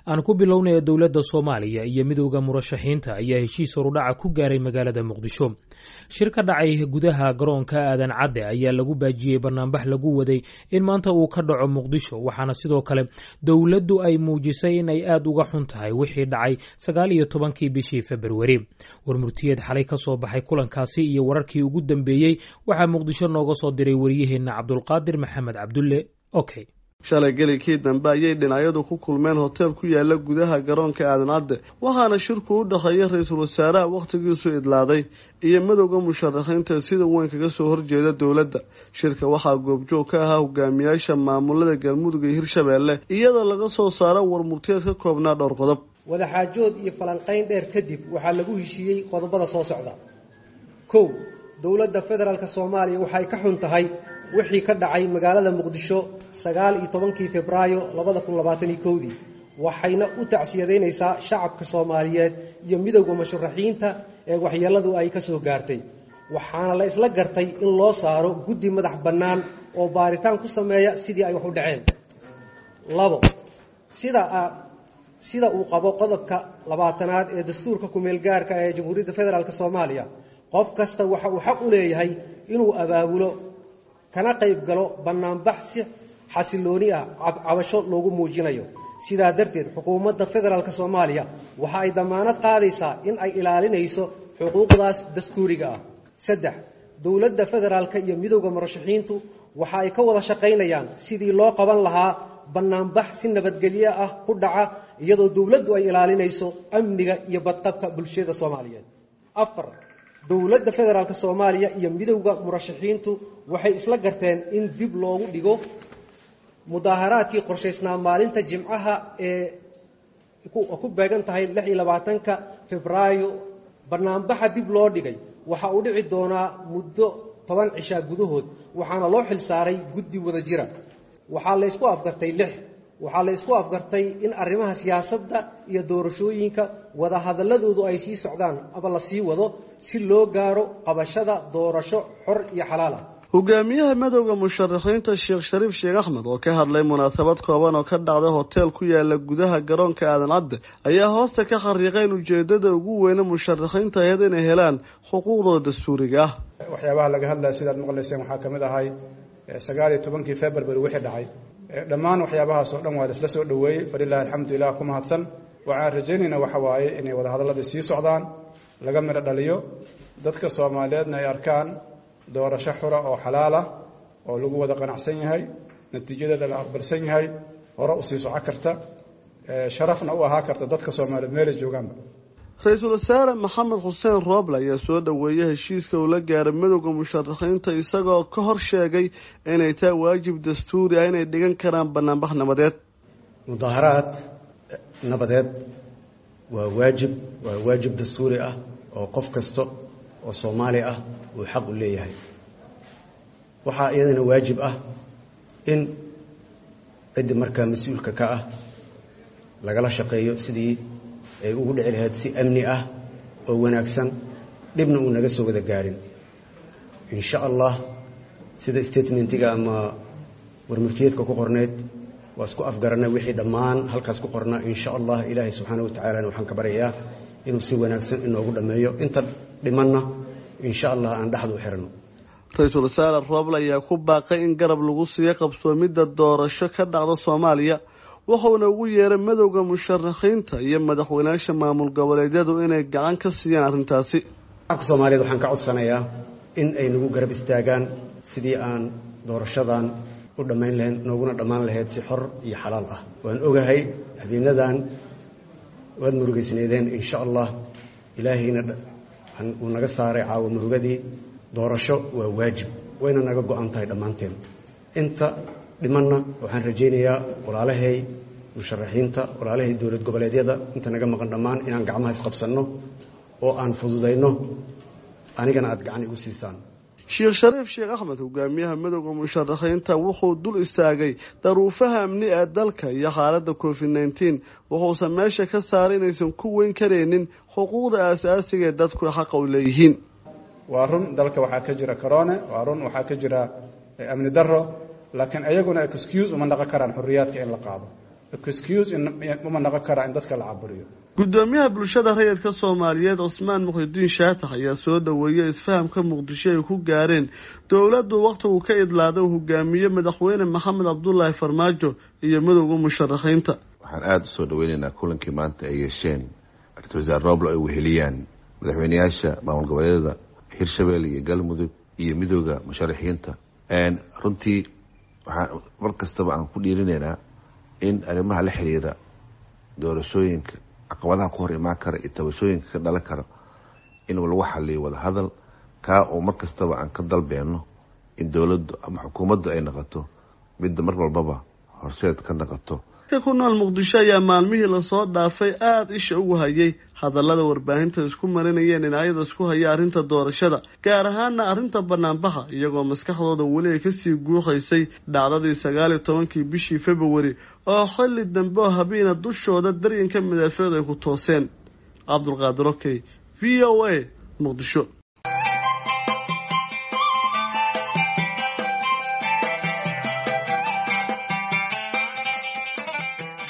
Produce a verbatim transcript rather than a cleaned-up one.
Aan ku bilownaya, dowladda Soomaaliya iyo Midowda Murashaxiinta ayaa heshiis horudhaca ku gaaray magaalada Muqdisho. Shir ka dhacay gudaha garoonka Aadan Cadde ayaa lagu baajiyey banaanbax lagu waday in maanta uu ka dhaco Muqdisho, waxaana sidoo kale dowladdu ay muujisay in ay aad uga xun tahay wixii dhacay sagaal iyo tobankii bishii Februari. Warmurtiyeed xalay ka soo baxay kulankaasi iyo wararkii ugu dambeeyey waxaa Muqdisho nooga soo diray wariyaheenna Cabdulqaadir Maxamed Cabdulle. Okay. Shalay gelikii dambe ayay dhinacyadu ku kulmeen hotel ku yaala gudaha garoonka Aadan Cadde, waxaana shirku u dhexeeya ra-iisul wasaaraha wakhtigiisu idlaaday iyo Madowda Musharaxiinta sida weyn kaga soo horjeeda dowladda. Shirka waxaa goobjoog ka ahaa hogaamiyaasha maamulada Galmudug iyo Hirshabeelle, iyadoo laga soo saaro warmurtiyeed ka koobnaa dhowr qodob. Wadaxaajood iyo falanqayn dheer kadib, waxaa lagu heshiiyey qodobada soo socda. Kow, dowladda federaalk Soomaaliya waxay ka xun tahay wixii ka dhacay magaalada Muqdisho sagaal iyo tobankii Febraayo labada kun labaatan iyo kowdii, waxayna u tacsiyadaynaysaa shacabka Soomaaliyeed iyo Midowda Musharaxiinta ee waxyeeladu ay ka soo gaartay. Waxaana la isla gartay in loo saaro guddi madax bannaan oo baaritaan ku sameeya sidii ay wax u dhaceen. Labo, sida sida uu qabo qodobka labaatanaad ee dastuurka ku-meelgaarka ee Jamhuuriyadda Federaalk Soomaaliya, qof kasta waxa uu xaq u leeyahay inuu abaabulo kana qayb galo bannaanbax si xasilooni ah cabasho loogu muujinayo. Sidaa darteed, xukuumadda federaalk Soomaaliya waxa ay damaanad qaadaysaa in ay ilaalinayso xuquuqdaas dastuuriga ah. Saddex, dowladda federaalka iyo Midowda Murashaxiintu waxa ay ka wada shaqaynayaan sidii loo qaban lahaa bannaanbax si nabadgelyo ah ku dhaca, iyadoo dowladdu ay ilaalinayso amniga iyo badqabka bulshada Soomaaliyeed. Afar, dowladda federaalk Soomaaliya iyo Midowda Murashaxiintu waxay isla garteen in dib loogu dhigo mudaaharaadkii qorshaysnaa maalinta Jimcaha ee ku beegan tahay lix iyo labaatanka Febraayo. Banaanbaxa dib loo dhigay waxa uu dhici doonaa muddo toban cishaa gudahood, waxaana loo xil saaray guddi wada jira. Waxaa la ysku afgartay, lix, waxaa la isku afgartay in arrimaha siyaasadda iyo doorashooyinka wadahadalladoodu ay sii socdaan ama la sii wado si loo gaaro qabashada doorasho xor iyo xalaal ah. Hogaamiyaha Madowda Musharaxiinta, Sheekh Shariif Sheekh Axmed, oo ka hadlay munaasabad kooban oo ka dhacday hotel ku yaala gudaha garoonka Aadan Cadde, ayaa hoosta ka xariiqay in ujeedada ugu weyne musharaxiinta ahayd inay helaan xuquuqdooda dastuuriga ah. Waxyaabaha laga hadlaya, sidaad maqlayseen, waxaa ka mid ahay sagaal iyo tobankii February wixii dhacay. Dhammaan waxyaabahaas oo dhan waa laisla soo dhoweeyey. Falilahi alxamdu, ilah ku mahadsan. Waxaan rajaynaynaa waxa waaye inay wadahadalladii sii socdaan, laga midho dhaliyo, dadka Soomaaliyeedna ay arkaan doorasho xura oo xalaal ah oo lagu wada qanacsan yahay, natiijadeeda la aqbalsan yahay, hore usii soco karta, sharafna u ahaa karta dadka Soomaaliyeed meelay joogaanba. Ra-iisul Wasaare Maxamed Xuseen Rooble ayaa soo dhoweeyey heshiiska uu la gaaray Midowda Musharaxiinta, isagoo ka hor sheegay inay tahay waajib dastuuri ah inay dhigan karaan banaanbax nabadeed. Mudaaharaad nabadeed waa waajib, waa waajib dastuuri ah oo qof kasta oo Soomaali ah uu xaq u leeyahay. Waxaa iyadana waajib ah in ciddi markaa mas-uulka ka ah lagala shaqeeyo sidii ay ugu dhici lahayd si amni ah oo wanaagsan, dhibna uu naga soo wada gaarin. Insha Allah, sida statementiga ama warmurtiyeedka ku qorneyd, waa isku afgaranay wixii dhammaan halkaas ku qornaa. Insha Allah, Ilaahay subxaana wa tacaalana waxaan ka baryayaa inuu si wanaagsan inoogu dhammeeyo, inta dhimanna insha Allah aan dhexda u xirano. Ra-iisul Wasaare Rooble ayaa ku baaqay in garab lagu siiyo qabsoomidda doorasho ka dhacda Soomaaliya, wuxuuna ugu yeeray Madowda Musharaxiinta iyo madaxweynayaasha maamul goboleedyadu inay gacan ka siiyaan arrintaasi. Shacabka Soomaaliyeed waxaan ka codsanayaa in ay nagu garab istaagaan sidii aan doorashadan u dhammayn lahayn, nooguna dhammaan lahayd si xor iyo xalaal ah. Waan ogahay habeenadan waad murugaysneedeen. Insha Allah, Ilaahayna uu naga saaray caawa murugadii. Doorasho waa waajib, wayna naga go-an tahay dhammaanteen. Inta dhimanna waxaan rajaynayaa walaalahay musharaxiinta, walaalahay dowlad goboleedyada, inta naga maqan dhammaan inaan gacmaha isqabsanno oo aan fududayno, anigana aad gacan igu siisaan. Sheekh Shariif Sheekh Axmed, hogaamiyaha Madowda Musharaxiinta, wuxuu dul istaagay daruufaha amni ee dalka iyo xaaladda Covid nineteen, wuxuuse meesha ka saaray inaysan ku weyn karaynin xuquuqda aasaasiga ee dadku xaqa u leeyihiin. Waa run, dalka waxaa ka jira corona, waa run waxaa ka jira amni daro, laakiin ayaguna excuse uma dhaqan karaan xorriyaadka in la qaado. Excuse uma noqon karaa in dadka la caburiyo. Gudoomiyaha bulshada rayidka Soomaaliyeed Cusmaan Muqdiin Shaatax ayaa soo dhaweeyay isfahamka Muqdisho ay ku gaareen dowladdu waqtigu ka idlaaday hogaamiye madaxweyne Maxamed Cabdulaahi Farmaajo iyo midowda musharaxiinta. Waxaan aada u soo dhaweynaynaa kulankii maanta ay yeesheen ra-iisul wasaare Roble ay weheliyaan madaxweyneyaasha maamul goboleedyada Hirshabelle iyo Galmudug iyo midowda musharaxiinta. Runtii waxaan mar kastaba aan ku dhiirinaynaa in arrimaha la xiriira doorashooyinka, caqabadaha ku hor imaan kara iyo tabashooyinka ka dhalan kara in lagu xaliyo wadahadal, kaa oo mar kastaba aan ka dalbeenno in dowladdu ama xukuumaddu ay noqoto midda mar walbaba horseed ka noqoto. Dadka ku nool Muqdisho ayaa maalmihii lasoo dhaafay aada isha ugu hayay hadallada warbaahinta isku marinayeen dhinacyada isku haya arrinta doorashada, gaar ahaana arrinta banaanbaxa, iyagoo maskaxdooda weli ay kasii guuxaysay dhacdadii sagaal iyo tobankii bishii Februari oo xilli dambe oo habeena dushooda daryanka madafeed ay ku tooseen. Cabdulqaadir Okey, V O A, Muqdisho.